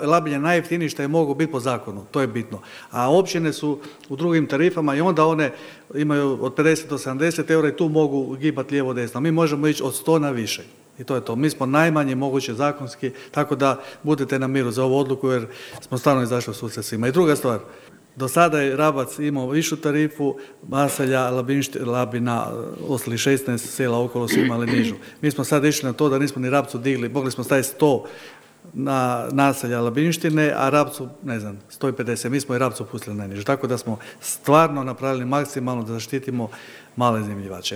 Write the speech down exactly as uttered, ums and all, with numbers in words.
Labinje najjeftiniji što je mogu biti po zakonu, to je bitno. A općine su u drugim tarifama i onda one imaju od pedeset do sedamdeset eura i tu mogu gibati lijevo desno. Mi možemo ići od sto na više. I to je to. Mi smo najmanje moguće zakonski, tako da budete na miru za ovu odluku jer smo stvarno izašli u susret svima. I druga stvar, do sada je Rabac imao višu tarifu, Maselja, Labina, ostali šesnaest sela okolo su imali nižu. Mi smo sad išli na to da nismo ni Rabcu digli, mogli smo staviti sto na naselja Labinštine, a Rabcu, ne znam, sto pedeset. Mi smo i Rabcu pustili najniže. Tako da smo stvarno napravili maksimalno da zaštitimo male iznajmljivače.